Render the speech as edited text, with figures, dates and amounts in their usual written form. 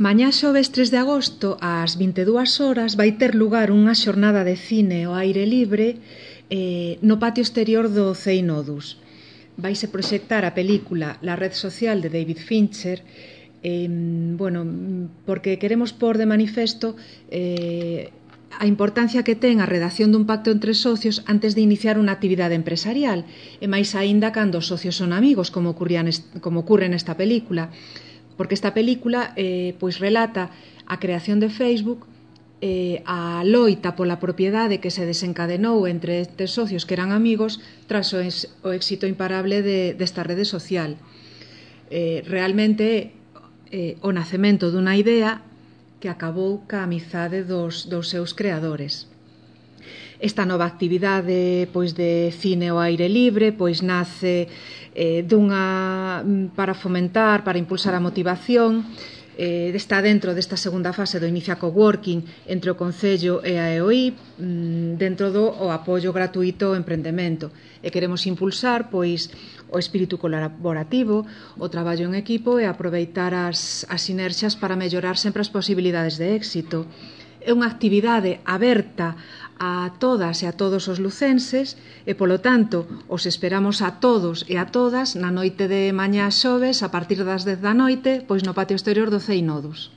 Mañá xoves 3 de agosto, ás 22 horas, vai ter lugar unha xornada de cine ao aire libre no patio exterior do CEI Nodus. Vaise proxectar a película La red social de David Fincher, porque queremos pôr de manifesto a importancia que ten a redacción dun pacto entre socios antes de iniciar unha actividade empresarial, e máis aínda cando os socios son amigos, como ocurre nesta película, porque esta película relata a creación de Facebook, a loita pola propiedade que se desencadenou entre estes socios que eran amigos tras o éxito imparable desta rede social. Realmente o nacemento dunha idea que acabou ca amizade dos seus creadores. Esta nova actividade de cine ao aire libre nace para fomentar, para impulsar a motivación. Está dentro desta segunda fase do Inicia Coworking entre o Concello e a EOI, dentro do apoio gratuito ao emprendemento. E queremos impulsar o espírito colaborativo, o traballo en equipo e aproveitar as sinerxias para mellorar sempre as posibilidades de éxito. É unha actividade aberta a todas e a todos os lucenses e, polo tanto, os esperamos a todos e a todas na noite de mañá xoves a partir das 10 da noite no patio exterior do CEI Nodus.